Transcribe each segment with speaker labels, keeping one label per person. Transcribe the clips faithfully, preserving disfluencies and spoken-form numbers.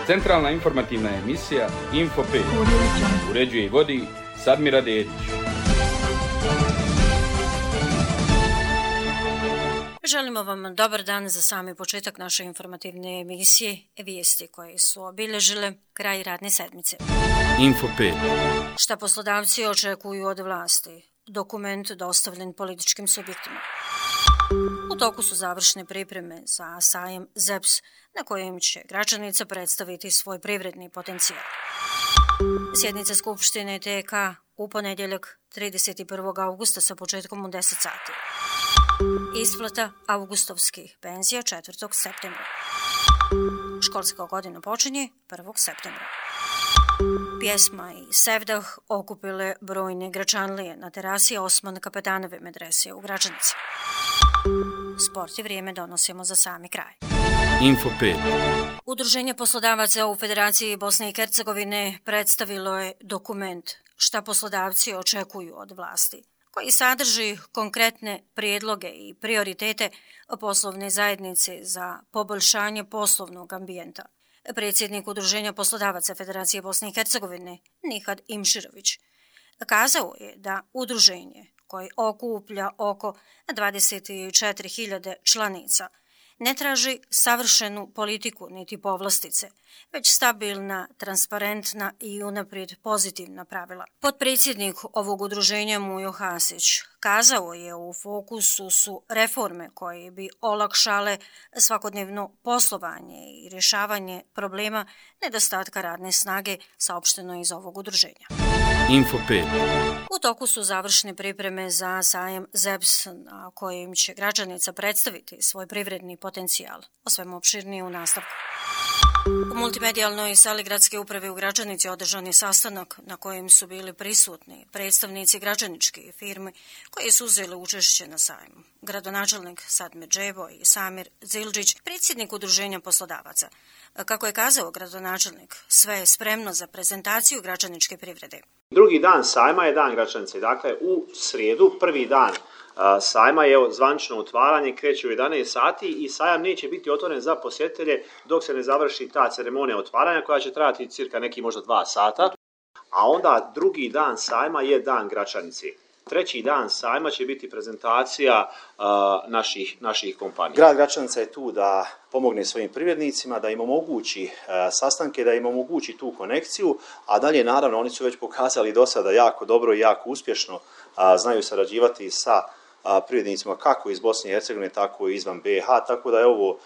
Speaker 1: Centralna informativna emisija Info pet. Uređuje i vodi Sadmira Dedić.
Speaker 2: Želimo vam dobar dan za sami početak naše informativne emisije, vijesti koje su obilježile kraj radne sedmice.
Speaker 1: Info pet.
Speaker 2: Šta poslodavci očekuju od vlasti? Dokument dostavljen političkim subjektima. U toku su završne pripreme za sajam Z E P S na kojem će Gračanica predstaviti svoj privredni potencijal. Sjednica Skupštine T K u ponedjeljak trideset prvog augusta sa početkom u deset sati. Isplata avgustovskih penzija četvrtog septembra. Školska godina počinje prvog septembra. Pjesma i sevdah okupile brojne Gračanlije na terasi Osman Kapetanove medrese u Gračanici. Sport i vrijeme donosimo za sami kraj.
Speaker 1: Info pet.
Speaker 2: Udruženje poslodavaca u Federaciji Bosne i Hercegovine predstavilo je dokument šta poslodavci očekuju od vlasti, koji sadrži konkretne prijedloge i prioritete poslovne zajednice za poboljšanje poslovnog ambijenta. Predsjednik Udruženja poslodavaca Federacije Bosne i Hercegovine Nihad Imširović kazao je da udruženje koje okuplja oko dvadeset četiri hiljade članica ne traži savršenu politiku niti povlastice, već stabilna, transparentna i unaprijed pozitivna pravila. Potpredsjednik ovog udruženja Mujo Hasić kazao je u fokusu su reforme koje bi olakšale svakodnevno poslovanje i rješavanje problema nedostatka radne snage, saopšteno iz ovog udruženja.
Speaker 1: Info pet.
Speaker 2: U toku su završne pripreme za sajam Z E P S na kojem će Gračanica predstaviti svoj privredni potencijal. O svemu opširnije u nastavku. U multimedijalnoj sali gradske uprave u Gračanici održan je sastanak na kojem su bili prisutni predstavnici gračaničke firme koji su uzeli učešće na sajmu. Gradonačelnik Sadmir Džebo i Samir Zildžić, predsjednik Udruženja poslodavaca. Kako je kazao gradonačelnik, sve je spremno za prezentaciju gračaničke privrede.
Speaker 3: Drugi dan sajma je dan Gračanice. Dakle, u srijedu, prvi dan sajma je zvanično otvaranje, kreće u jedanaest sati i sajam neće biti otvoren za posjetitelje dok se ne završi ta ceremonija otvaranja koja će trajati cirka neki možda dva sata. A onda drugi dan sajma je dan Gračanice. Treći dan sajma će biti prezentacija uh, naših, naših kompanija. Grad Gračanica je tu da pomogne svojim privrednicima, da im omogući uh, sastanke, da im omogući tu konekciju, a dalje naravno oni su već pokazali do sada jako dobro i jako uspješno, uh, znaju sarađivati sa uh, privrednicima kako iz Bosne i Hercegovine, tako i izvan B i H, tako da je ovo uh,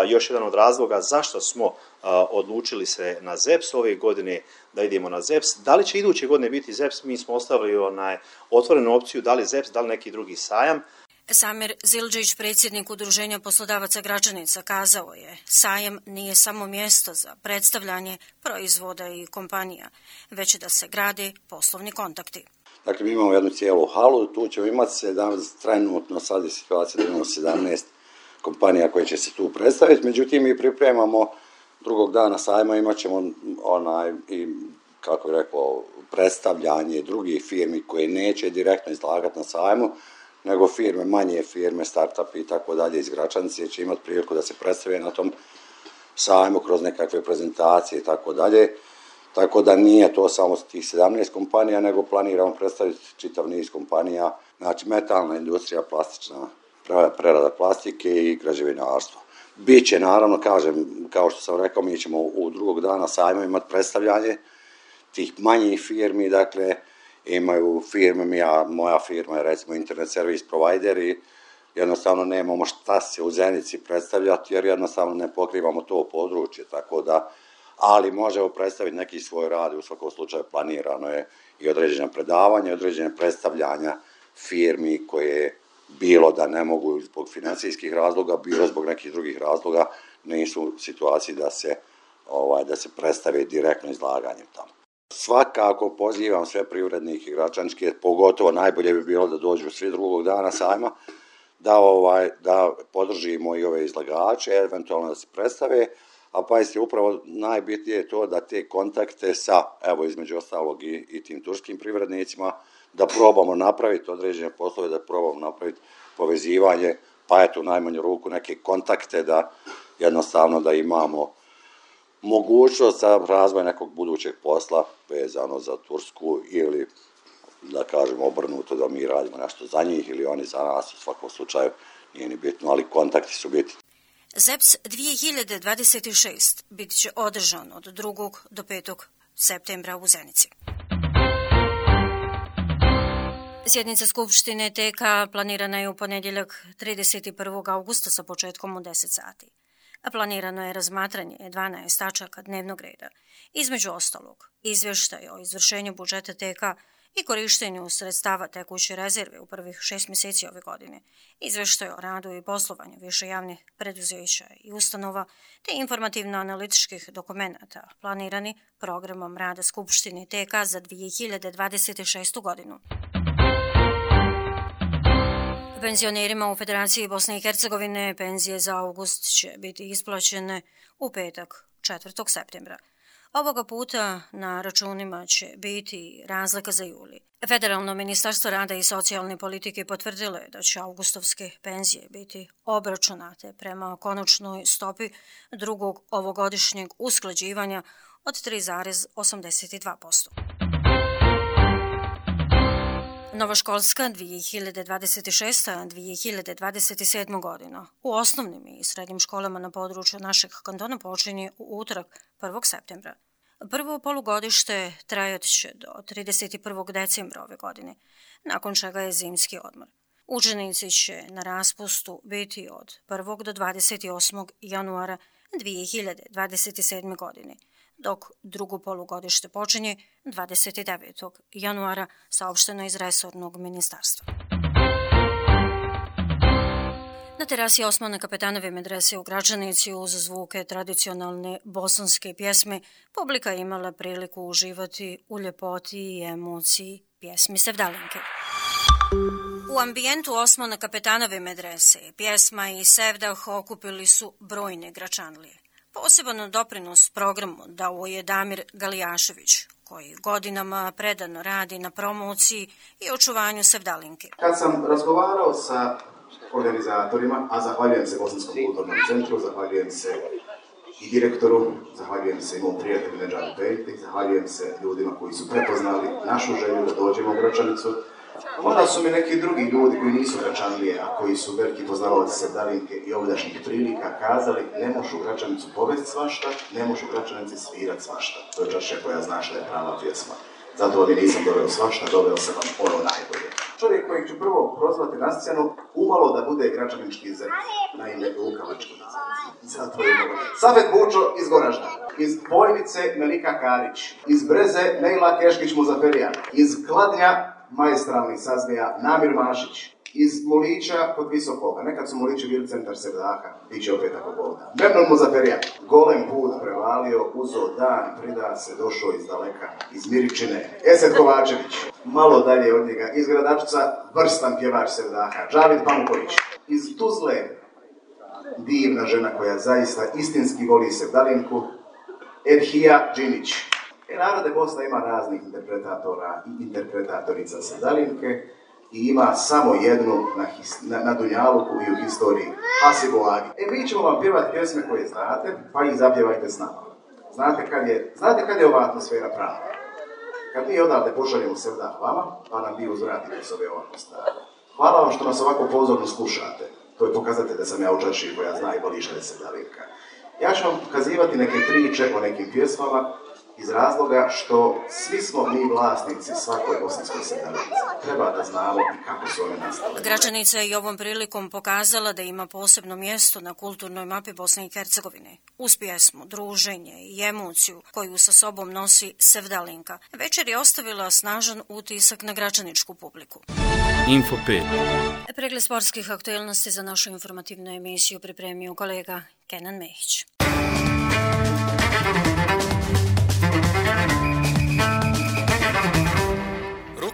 Speaker 3: još jedan od razloga zašto smo uh, odlučili se na Z E P S ove godine, da idemo na Z E P S. Da li će iduće godine biti Z E P S? Mi smo ostavili onaj otvorenu opciju, da li Z E P S, da li neki drugi sajam.
Speaker 2: Samir Zildžić, predsjednik Udruženja poslodavaca Gračanica, kazao je sajam nije samo mjesto za predstavljanje proizvoda i kompanija, već da se grade poslovni kontakti.
Speaker 4: Dakle, mi imamo jednu cijelu halu, tu ćemo imati sedamnaest, trenutno sad je situacija da imamo sedamnaest kompanija koje će se tu predstaviti, međutim mi pripremamo drugog dana sajma, imat ćemo onaj, i, kako je rekao, predstavljanje drugih firmi koje neće direktno izlagati na sajmu, nego firme, manje firme, startupi i tako dalje iz Gračanice će imati priliku da se predstave na tom sajmu kroz nekakve prezentacije i tako dalje. Tako da nije to samo tih sedamnaest kompanija, nego planiramo predstaviti čitav niz kompanija, znači metalna industrija, plastična prerada plastike i građevinarstvo. Biće, naravno, kažem, kao što sam rekao, mi ćemo u drugog dana sajma imati predstavljanje tih manjih firmi, dakle, imaju firme, ja, moja firma je recimo internet service provider i jednostavno nemamo šta se u Zenici predstavljati jer jednostavno ne pokrivamo to područje, tako da, ali možemo predstaviti neki svoj rad i u svakom slučaju planirano je i određena predavanja, određene predstavljanja firmi koje bilo da ne mogu zbog financijskih razloga, bilo zbog nekih drugih razloga, nisu u situaciji da se, ovaj, da se predstave direktno izlaganjem tamo. Svakako pozivam sve privrednike gračaničke, pogotovo najbolje bi bilo da dođu svi drugog dana sajma, da, ovaj, da podržimo i ove izlagače, eventualno da se predstave, a pa je upravo najbitnije je to da te kontakte sa, evo između ostalog i, i tim turskim privrednicima, da probamo napraviti određene poslove, da probamo napraviti povezivanje, pa eto u najmanju ruku neke kontakte da jednostavno da imamo mogućnost za razvoj nekog budućeg posla vezano za Tursku ili da kažem obrnuto da mi radimo nešto za njih ili oni za nas, u svakom slučaju nije ni bitno, ali kontakti su bitni.
Speaker 2: Z E P S dvije hiljade dvadeset šest bit će održan od drugog do petog septembra u Zenici. Sjednica Skupštine T K planirana je u ponedjeljak trideset prvog augusta sa početkom u deset sati. A planirano je razmatranje dvanaest tačaka dnevnog reda, između ostalog izvještaj o izvršenju budžeta T K i korištenju sredstava tekuće rezerve u prvih šest mjeseci ove godine, izvještaj o radu i poslovanju više javnih preduzeća i ustanova, te informativno-analitičkih dokumenata planirani programom rada Skupštine T K za dvije hiljade dvadeset šestu godinu. Penzionerima u Federaciji Bosne i Hercegovine penzije za august će biti isplaćene u petak četvrtog septembra. Ovoga puta na računima će biti razlika za juli. Federalno ministarstvo rada i socijalne politike potvrdilo je da će augustovske penzije biti obračunate prema konačnoj stopi drugog ovogodišnjeg usklađivanja od tri zarez osamdeset dva posto. Novoškolska dvije hiljade dvadeset šesta dvije hiljade dvadeset sedma godina u osnovnim i srednjim školama na području našeg kantona počinje u utorak prvog septembra. Prvo polugodište trajat će do trideset prvog decembra ove godine, nakon čega je zimski odmor. Učenici će na raspustu biti od prvog do dvadeset osmog januara dvije hiljade dvadeset sedme godine, dok drugo polugodište počinje dvadeset devetog januara, saopšteno iz resornog ministarstva. Na terasi Osmana Kapetanove medrese u Gračanici uz zvuke tradicionalne bosanske pjesme publika imala priliku uživati u ljepoti i emociji pjesmi Sevdalinke. U ambijentu Osmana Kapetanove medrese pjesma i sevdah okupili su brojne Gračanlije. Poseban doprinos programu dao je Damir Galijašević, koji godinama predano radi na promociji i očuvanju Sevdalinke.
Speaker 5: Kad sam razgovarao sa organizatorima, a zahvaljujem se Bosanskom kulturnom centru, zahvaljujem se i direktoru, zahvaljujem se i mom prijatelju Nedžadu Pejti, zahvaljujem se ljudima koji su prepoznali našu želju da dođemo u Gračanicu. Onda su mi neki drugi ljudi koji nisu Gračanlije, a koji su veliki poznavalac Sevdalinke i ovdašnjih prilika, kazali ne možeš u Gračanicu povesti svašta, ne možeš u Gračanici svirat svašta. To je čaše koja znaš da je prava pjesma. Zato vam nisam doveo svašta, doveo sam vam ono najbolje. Čovjek kojeg ću prvo prozvati na scenu, umalo da bude gračanički zet, na ime Lukavački nazad. Zato je umalo. Safet Bučo iz Goražda, iz Bojnice Melika Karić, iz Breze Nejla Keškić Muzaferija, iz Kladnja maestralni saznija Namir Mašić, iz Mulića kod Visokoga, nekad su Mulići bili centar Sevdaha, bit će opet ako Bog da. Memnon Muzaferija, golem put prevalio, uzo dan, prida se, došao iz daleka, iz Miričine, Esed Kovačević, malo dalje od njega, iz Gradačca, vrstan pjevač Sevdaha, Džavid Pamuković, iz Tuzle, divna žena koja zaista istinski voli Sevdalinku, Edhija Džinić. E, narode Bosna ima raznih interpretatora i interpretatorica Sevdalinke i ima samo jednu na, his, na, na Dunjaluku i u historiji, Hasibu Agi. E, mi ćemo vam pjevati pjesme koje znate, pa ih zapjevajte s nama. Znate kad je, znate kad je ova atmosfera prava? Kad mi odavde pošaljemo Sevdah vama, pa nam vi uzvratite s ove ovako stvari. Hvala vam što nas ovako pozorno slušate. To je pokazatelj da sam ja u čaši koja zna i voli šalje Sevdalinka. Ja ću vam pokazivati neke priče o nekim pjesmama, iz razloga što svi smo mi vlasnici svakoj bosanskoj Sevdalinci. Treba da znamo i kako su one nastale.
Speaker 2: Gračanica je i ovom prilikom pokazala da ima posebno mjesto na kulturnoj mapi Bosne i Hercegovine. Uz pjesmu, druženje i emociju koju sa sobom nosi Sevdalinka, večer je ostavila snažan utisak na gračaničku publiku.
Speaker 1: Info pet.
Speaker 2: Pregled sportskih aktualnosti za našu informativnu emisiju pripremio kolega Kenan Mehić.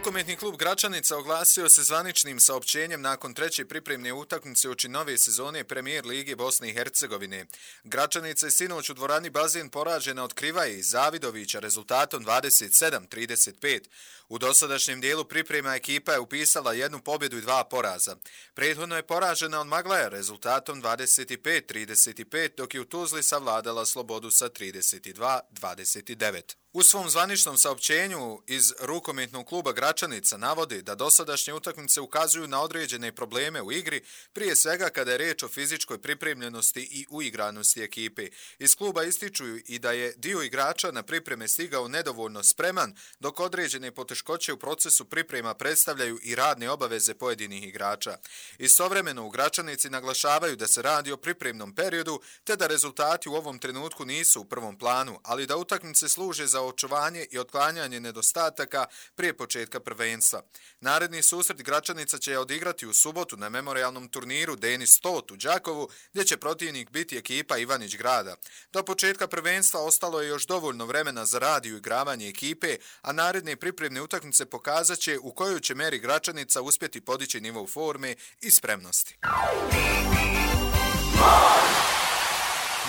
Speaker 6: Rukometni klub Gračanica oglasio se zvaničnim saopćenjem nakon treće pripremne utakmice uoči nove sezone Premijer Lige Bosne i Hercegovine. Gračanica je sinoć u dvorani Bazen poražena od Krivaje i Zavidovića rezultatom dvadeset sedam trideset pet. U dosadašnjem dijelu priprema ekipa je upisala jednu pobjedu i dva poraza. Prethodno je poražena od Maglaja rezultatom dvadeset pet trideset pet, dok je u Tuzli savladala Slobodu sa trideset dva dvadeset devet. U svom zvaničnom saopćenju iz Rukometnog kluba Gračanica navodi da dosadašnje utakmice ukazuju na određene probleme u igri, prije svega kada je riječ o fizičkoj pripremljenosti i uigranosti ekipe. Iz kluba ističu i da je dio igrača na pripreme stigao nedovoljno spreman, dok određene poteškoće u procesu priprema predstavljaju i radne obaveze pojedinih igrača. Istovremeno u Gračanici naglašavaju da se radi o pripremnom periodu, te da rezultati u ovom trenutku nisu u prvom planu, ali da utakmice služe za očuvanje i otklanjanje nedostataka prije početka prvenstva. Naredni susret Gračanica će odigrati u subotu na memorijalnom turniru Denis Stot u Đakovu, gdje će protivnik biti ekipa Ivanić Grada. Do početka prvenstva ostalo je još dovoljno vremena za rad i uigravanje ekipe, a naredne pripremne utakmice pokazat će u kojoj će meri Gračanica uspjeti podići nivo forme i spremnosti.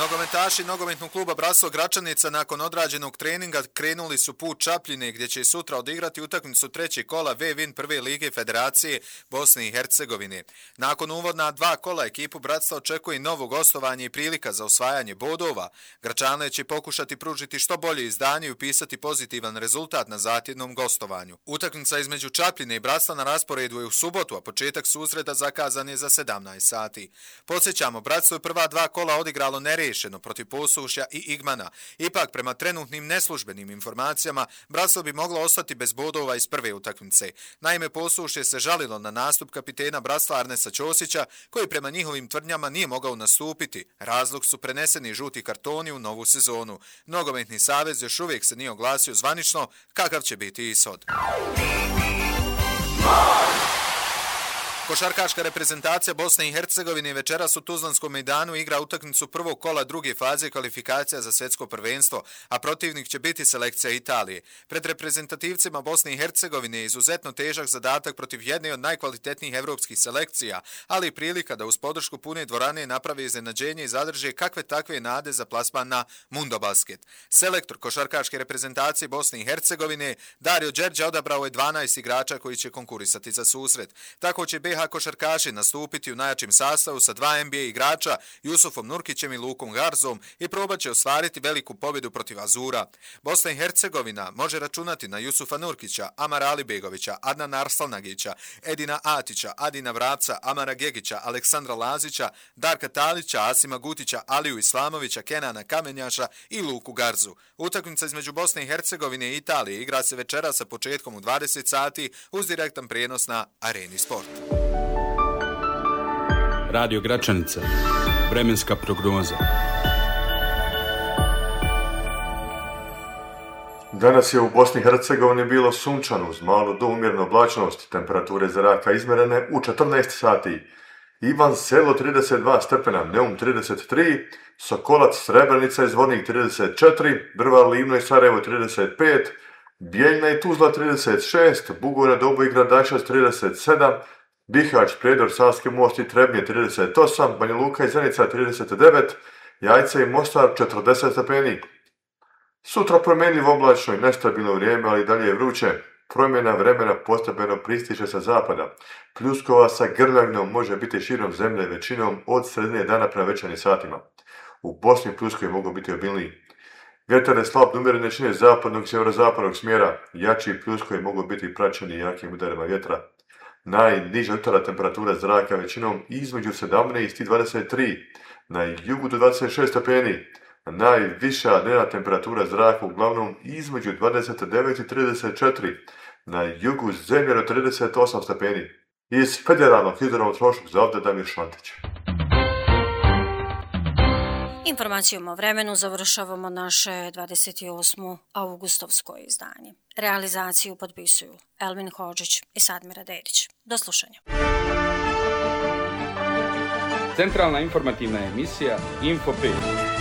Speaker 6: Nogometaši nogometnog kluba Bratstvo Gračanica nakon odrađenog treninga krenuli su put Čapljine, gdje će sutra odigrati utakmicu trećeg kola V-Win prve lige Federacije Bosne i Hercegovine. Nakon uvodna dva kola ekipu Bratstva očekuje novo gostovanje i prilika za osvajanje bodova. Gračane će pokušati pružiti što bolje izdanje i upisati pozitivan rezultat na zahtjevnom gostovanju. Utakmica između Čapljine i Bratstva na rasporedu je u subotu, a početak susreta zakazan je za sedamnaest sati. Podsjećamo, Bratstvo je prva dva kola odigralo nerešeno protiv Posušja i Igmana. Ipak, prema trenutnim neslužbenim informacijama, Bratstvo bi moglo ostati bez bodova iz prve utakmice. Naime, Posušje se žalilo na nastup kapitena Bratstva Arnesa Ćosića, koji prema njihovim tvrdnjama nije mogao nastupiti. Razlog su preneseni žuti kartoni u novu sezonu. Nogometni savez još uvijek se nije oglasio zvanično kakav će biti ishod. Košarkaška reprezentacija Bosne i Hercegovine večeras u Tuzlanskom mejdanu igra utakmicu prvog kola druge faze kvalifikacija za svjetsko prvenstvo, a protivnik će biti selekcija Italije. Pred reprezentativcima Bosne i Hercegovine je izuzetno težak zadatak protiv jedne od najkvalitetnijih evropskih selekcija, ali i prilika da uz podršku pune dvorane naprave iznenađenje i zadrže kakve takve nade za plasman na Mundobasket. Selektor košarkaške reprezentacije Bosne i Hercegovine Dario Đerđa odabrao je dvanaest igrača koji će konkurisati za susret. Tako će B iH košarkaši nastupiti u najjačem sastavu sa dva N B A igrača, Jusufom Nurkićem i Lukom Garzom, i probat će ostvariti veliku pobjedu protiv Azura. Bosna i Hercegovina može računati na Jusufa Nurkića, Amara Alibegovića, Adnana Arslanagića, Edina Atića, Adina Vrapca, Amara Gegića, Aleksandra Lazića, Darka Talića, Asima Gutića, Aliju Islamovića, Kenana Kamenjaša i Luku Garzu. Utakmica između Bosne i Hercegovine i Italije igra se večera sa početkom u dvadeset sati uz direktan prijenos na Areni Sport.
Speaker 1: Radio Gračanica. Vremenska prognoza.
Speaker 7: Danas je u Bosni i Hercegovini bilo sunčano uz malo do umjerene oblačnosti, temperature zraka izmjerene u četrnaest sati. Ivan Selo trideset dva stepena, Neum trideset tri, Sokolac, Srebrenica i Zvornik trideset četiri, Brvar, Livno i Sarajevo trideset pet, Bijeljna i Tuzla trideset šest, Bugojna, Doboj i Gradačac trideset sedam, Bihać, Prijedor, Savski Most i Trebnje trideset osam, Banja Luka i Zenica trideset devet, Jajce i Mostar četrdeset stepeni. Sutra promjenljivo oblačno i nestabilno vrijeme, ali dalje je vruće. Promjena vremena postepeno pristiže sa zapada. Pljuskova sa grljavinom može biti širom zemlje većinom od sredine dana prema večernjim satima. U Bosni pljuskovi mogu biti obilniji. Vjetar je slab do umjerene jačine zapadnog i sjeverozapadnog smjera. Jači pljuskovi mogu biti praćeni jakim udarima vjetra. Najniža jutarnja temperatura zraka većinom između sedamnaest i dvadeset tri, na jugu do dvadeset šest stepeni. Najviša dnevna temperatura zraka uglavnom između dvadeset devet i trideset četiri, na jugu zemlje do trideset osam stepeni. Iz Federalnog hidrometeorološkog zavoda Damir Šantić.
Speaker 2: Informacijom o vremenu završavamo naše dvadeset osmo avgustovsko izdanje. Realizaciju potpisuju Elvin Hodžić i Sadmira Dedić. Do slušanja.
Speaker 1: Centralna informativna emisija Info pet.